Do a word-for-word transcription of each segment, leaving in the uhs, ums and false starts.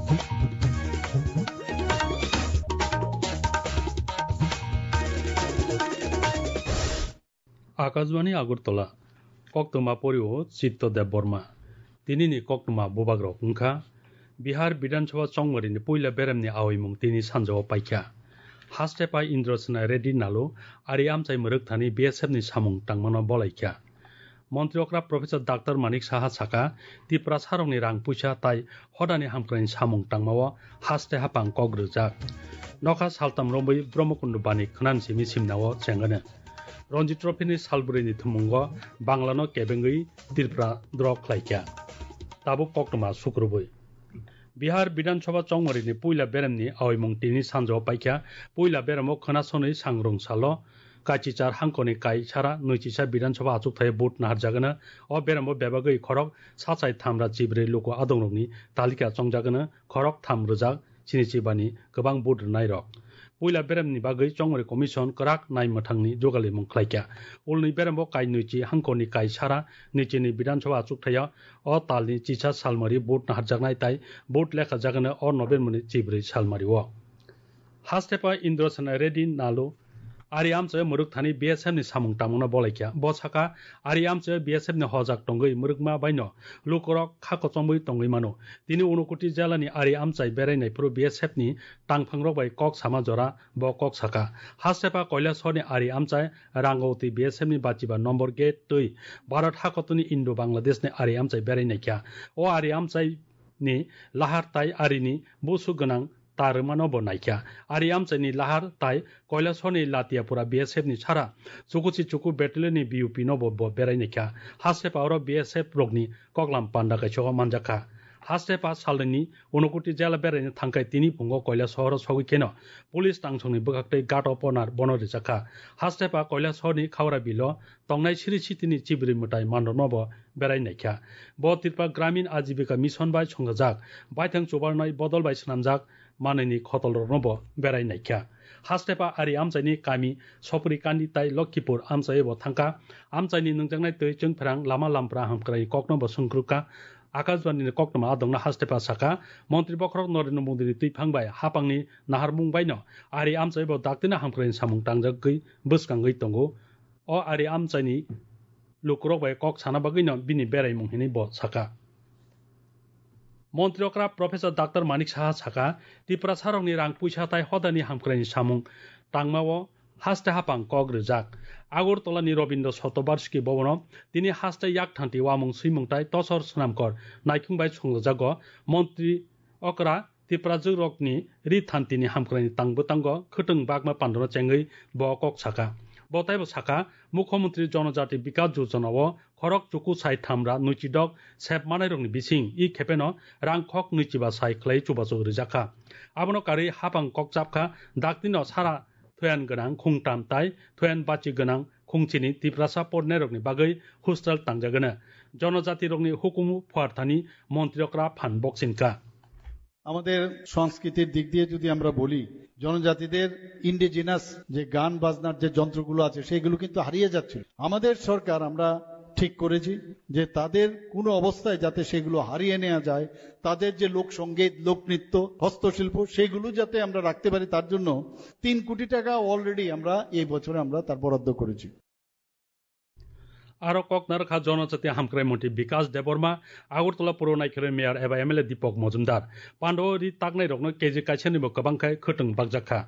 Akashbani Agartala, koktwma porio Chitto Debbarma. Tinini koktwma bubagrok wngkha, Bihar Bidhan Sabha chongmarini puila beremni aoimung tini sanjao paikha. Haste pai Indra Sena Reddy Nalu ari amchai mwrwk thani B S F ni samung tangmano bolaikha. Montri okra Professor Doctor Manik Saha saka, Tiprasarokni rang puisa tai hodani hamkraini samung tangmao haste hapang kok rwjak. Nokha saltam romwi Brahmakundu bani khwnam simi simnao chengano. Ranji Trophy ni salbwrwini thumungo Banglano kebengwi Tripura draw khlaikha. Tabuk koktwma sukrubwi. Bihar Bidhan Sabha chongmarini puila beremni aoimung tini sanjao paikha. Puila beremo khwnasonwi sangrung salo kachichar hangkoni kai sara nwichisa Bidhan Sabha achukthai vote naharjagano. O beremo bebagwi khorok sachai thamra chibrwi luku adongrokni talika chongjagano, khorok tham rwjak sinichi bani kwbang vote rwnairok. Puila beremni bagwi chongmari commission kwrak nai mwthangni jugalimung khlaikha. Ulni berembo kai nwichi hangkoni kai sara nichini Bidhan Sabha achukthai o talni chisa salmari vote naharjaknai tai vote lekhajakno o November ni chibrwi salmari o. Hastepa Indra Sena Reddy Nalu ari amchaio mwrwk thani B S F ni samung tangmungno bolaikha. Bo sakha, ari amchaio B S F ni hojak tongwi mwrwkma baino lukurok kha kochomwi tongwi mano. Tini Unokuti jelani ari amchai berai naiphuru B S F ni tangphangrok bai kok sama jora bo kok sakha. Hastepa Koilashahar ni ari amchai Rangauti B S F ni bachiba number gate twi Bharat hakotuni Indo Bangladesh ni ari amchai berai naikha. O ari amchai ni lahar tai arini busu gwnang ta rwmano bo naikha. Ari amchaini lahar tai Koilashahar ni Latiapura B S F ni sara chukuchi chuku battalion ni B U P no bo, bo berai naikha. Hastepa oro B S F rokni koklam panda kaisa o manjakha. Hastepa salnini Unokuti jela beraina thangkhai tini phungo Koilashahar o sogwi kheno police tangsongni bwkhaktwi guard of honor bono rijakha. Hastepa Koilashahar ni Khaura bilo tongnai siri sitini chibri mwtai mandorno bo berai naikha. Bo Tripura Gramin Ajibika Mission bai songchajak, baithang chubarnai bodol bai swnamjak manwini khotolrokno bo berai naikha. Hastepa ari amchaini kami Sopri Kandi tai Lokkipur amchai bo thangkha. Amchaini nungjaknai twi chwngphrang lama lampra hamkrai kokno bo sungkrukha. Akashbani ni koktwma adongno Hastepa sakha, Montri bokhorok Narendra Modi ni twiphang bai hapangni naharmung baino ari amchai bo daktino hamkrai samung tangjagwi bwskangwi tongo. O ari amchaini lukurok bai kok sana bagwino bini beraimung hinwi bo sakha. Montri okra Professor Doctor Manik Saha sakha, Tiprasarokni rang puisa tai hodani hamkraini samung tangmao haste hapang kok rijak. Agartala ni Rabindra Shatovarshiki Bhavan o tini haste yak thanti wamung swimung tai tosor swnamkor naikhung bai songlajago. Montri okra Tiprajwk rokni ri thantini hamkraini tang bwtango khwtwng bakma pandano chengwi bo kok sakha. Bo taibo sakha, Mukhyamantri Jonojati Bikas Yojana o khorok chuku sai thamra nwichidok sep manairokni bising i khepeno rang khok nwichiba sai khlai chubachu rijakha. Abono karwi hapang kok chapkha, daktino sara thoyan gwnang khungtam tai thoyan bachi gwnang khungchini Tiprasa porinairokni bagwi hostel tangjagwno. Jonojatirokni hukumu phuarthani montri okra phan bokchinkha. আমাদের সংস্কৃতির দিক দিয়ে যদি আমরা বলি, জনজাতিদের ইন্ডিজিনাস যে গান বাজনার যে যন্ত্রগুলো আছে, সেগুলো কিন্তু হারিয়ে যাচ্ছিল। আমাদের সরকার, আমরা ঠিক করেছি যে তাদের কোনো অবস্থায় যাতে সেগুলো হারিয়ে নেওয়া যায়, তাদের যে লোকসঙ্গীত, লোকনৃত্য, হস্তশিল্প, সেগুলো যাতে আমরা রাখতে পারি, তার জন্য তিন কোটি টাকা অলরেডি আমরা এই বছরে আমরা তার বরাদ্দ করেছি। Aro kok narwkha Jonojati Hamkrai Montri Bikas Debbarma, Agartala Puro Naikhelni Mayor eba M L A Dipak Mojumdar. Pando ri taknairokno K G kaisani bo kwbang khai khwtwng bakjakha.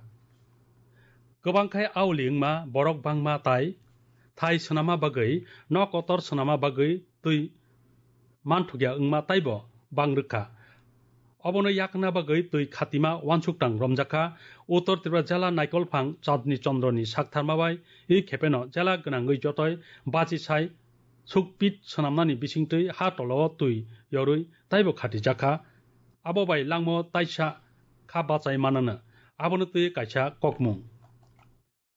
Kwbang khai auli wngma borok bangma tai thai swnama bagwi, nok kotor swnama bagwi twi manthokya wngma taibo bang rwkha. Obono yakna bagwi twi khatima uansukthang romjakha. Uttor Tripura jela Naikolphang Chandni Chandroni saktharma bai i khepeno jela gwnangwi jotoi bachi sai sukpit swnamnani bisingtwi ha tolao twi yorwi taibo khatijakha. Abo bai langmo taisa kha bachai manano. Abono twi kaisa kokmung.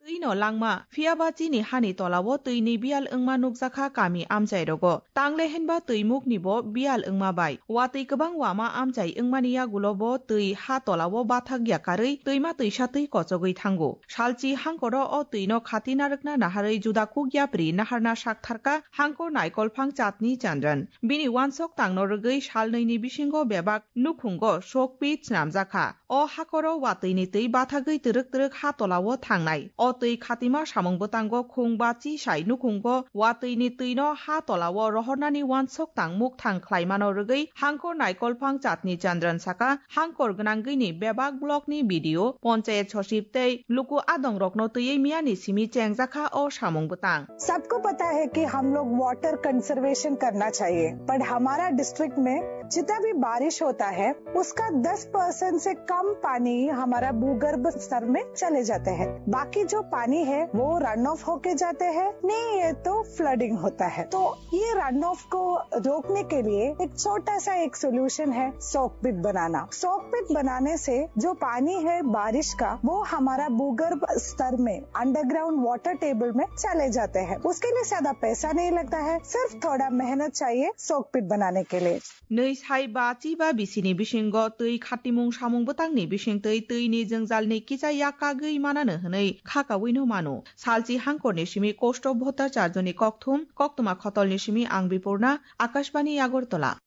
Twi no langma, phiya ba chini hani tola o twi ni biyal wngma nukjakha kami amchai rogo. Tangle hinba twi muk ni bo biyal wngma bai. Watwi kwbang wama amchai wngmani yagulo bo twi ha tola o bathak ya karwi twima twisa twi kochogwi thango. Salchi hangkoro o twi no khati narwkna naharwi juda kuk yapri naharna sak tharka hangkor naikol phang Chatni Chandran. Bini wansok tangno rwgwi salnwi ni bisingo bebak nukhungo sokpit snamjakha. O hakoro watwi ni twi bathagwi twrwk twrwk ha tola o thangnai. O twi khatima samung bwtango khung bachi sai nukhungo watwi ni twi no ha tola o rohornani wansok tang muk thang khlaimano rwgwi hangkor naikol phang Chatni Chandran saka hangkor gwnangwi ni bebak block ni B D O, ponchayat sochib tei luku adong rokno twiwi miyani simi chengjakha o samung bwtang. सबको पता है कि हम लोग water conservation करना चाहिए, पर हमारा डिस्ट्रिक्ट में जितना भी बारिश होता है, उसका दस परसेंट से कम पानी ही हमारा भूगर्भ स्तर में चले जाते हैं। बाकी जो पानी है, वो रन ऑफ होके जाते हैं, नहीं है तो फ्लडिंग होता है। तो ये रन ऑफ को रोकने के लिए एक छोटा सा एक सॉल्यूशन है, सॉक पिट बनाना। सॉक पिट बनाने से जो पानी है बारिश का, वो हमारा भूगर्भ स्तर में, अंडरग्राउंड वाटर टेबल में चले जाते हैं। उसके लिए ज्यादा पैसा नहीं लगता है, सिर्फ थोड़ा मेहनत चाहिए सॉक पिट बनाने के लिए। Nwi sai ba chi ba bisi ni bisingo twi khatimung samung bwtang ni bising twi twi ni jwngjal ni kisa yak kagwi manano hwnwi kha kawi no mano. Salchi hangkor ni simi kosto bhota charjoni kokthum, koktwma khotol ni simi ang Bipurna, Akashbani Agartala.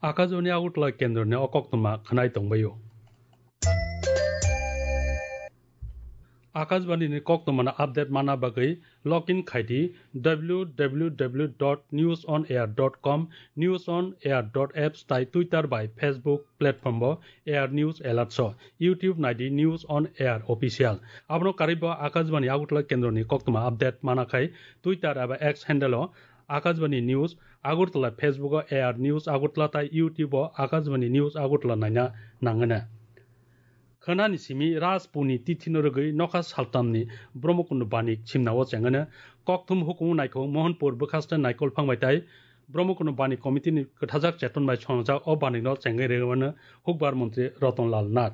Akashbani Agartala kendro ni o koktwma khwnai tongbaio. Akashbani ni koktwma no update mana bagwi log in khai di W W W dot news on air dot com, news on air dot apps tai Twitter bai Facebook platform bo Air News Alert so, YouTube nai di News on Air Official. Abono karwi bo Akashbani Agartala kendro ni koktwma update mana khai Twitter eba X handle o Akashbani News Agartala, Facebook o Air News Agartala tai YouTube o Akashbani News Agartala naina nangana. Khwnani simi Rajpurni tithino rwgwi nokha saltamni Brahmakundu banik simnao chengano kokthum hukumu naikho Mohanpur bwkhaste naikolphang bai tai Brahmakundu banik komitini kwthajak cheton bai songjak o banikno chengwi rwmano hukbar montri Ratan Lal Nath.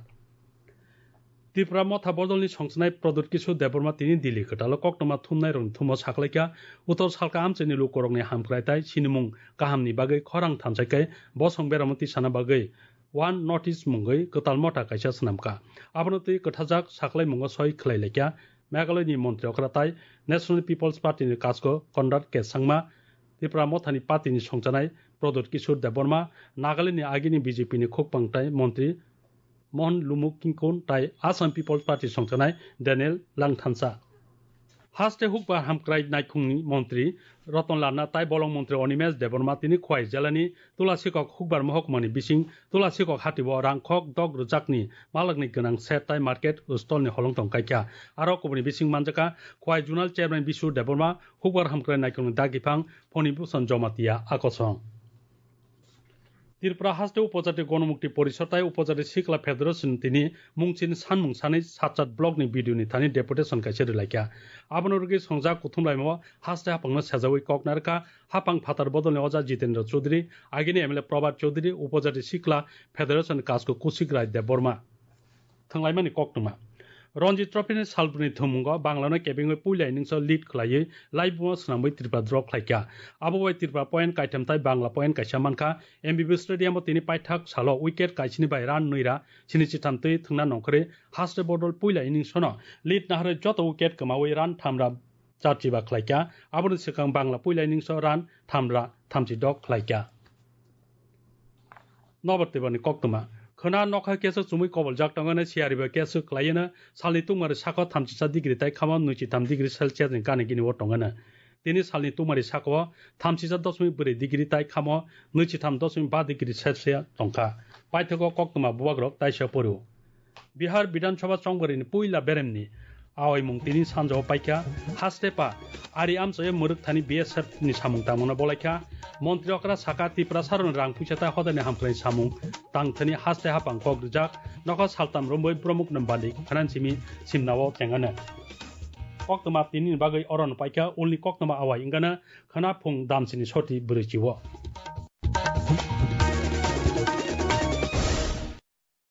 Tripura motha bodolni songchanai Pradyot Kishore Debbarma tini Delhi kwtalo koktwma thumnairokni thumo saklaikha, utor salka amchaini lukurokni hamkrai tai sinimung kahamni bagwi khorang thansaikhe bosong beramo tisana bagwi One North East mungwi kwtal motha kaisa swnamkha. Abono twi kwthajak saklaimungo soi khlai laikha Meghalaya ni montri okra tai National People's Party ni kasko Conrad K Sangma, Tripura mothani party ni songchanai Pradyot Kishore Debbarma, Nagaland ni agini B J P ni khukpang tai montri Mohan Lumu Kinkon tai Assam People's Party songchanai Daniel Langthansa. Haste hukbar hamkrai naikhungni montri Ratan Lal Nath tai bolong montri Animesh Debbarma tini Khwai jelani Tulasikok hukbar mohokmani bising Tulasikok hatio rangkhok dok rwjakni malakni gwnang set tai market stall ni holongtong kaikha. Aro kubuni bising manjakha Khwai Zonal Chairman Bisu Debbarma, hukbar hamkrai naikhungni dagiphang Phoni Bhusan Jomatia akosong. Tripura haste Upojati Gonomukti Porishod tai Upojati Sikla Federation tini mungchin sanmung sanwi Satchat block ni B D O ni thani deputation kaisa rwlaikha. Abono rwgwi songjak kuthumlaimao haste haphangno sejawi kok narwkha haphang phatar bodolni oja Jitendra Chaudhary, agini M L A Prabhat Chaudhary, Upojati Sikla Federation kasko Kusik Rai Debbarma. Thwnglaimani koktwma. Ranji Trophy ni salbrwni thwngmungo Bangla no kebengwi puila innings o lead khwlaiwi laibuma swnamwi Tripura draw khlaikha. Abo bai Tripura point kaitham tai Bangla point kaisa mankha. M B B Stadium o tini paithak salo wicket kaisini bai run nwi ra sini chitham twi thwngna nongkhorwi haste bodol puila innings o no lead naharwi joto wicket kwmawi run tham ra charchiba khlaikha. Aboni swkang Bangla puila innings o run tham ra thamchi dok khlaikha. Nobar twibani koktwma. Khwna nokha keso chumui koboljak tongano siyaribo keso khlaiyono salni tungmari sako thamchisa degree tai khamo nwichitham degree Celsius ni gani gini o tongano. Tini salni tungmari sako thamchisa dosmik bwrwi degree tai khamo nwichitham dosmik ba degree Celsius tongkha. Paithago koktwma bubagrok taisa porio. Bihar Bidhan Sabha chongbarini puila beremni aoimung tini sanjao paikha. Haste pa ari amchaio mwrwk thani B S F ni samung tangmano bolaikha. Montri okra saka Tiprasarokni rang puisa ta hodani hamkrai samung tangthani haste hapang kok rijak. Nokha saltam romwi bromukno bali khwnansimi simnao tengano. Koktwma tinini bagwi orono paikha ulni koktwma awai wngana khwna phung damsini soti bwrwi chiwo.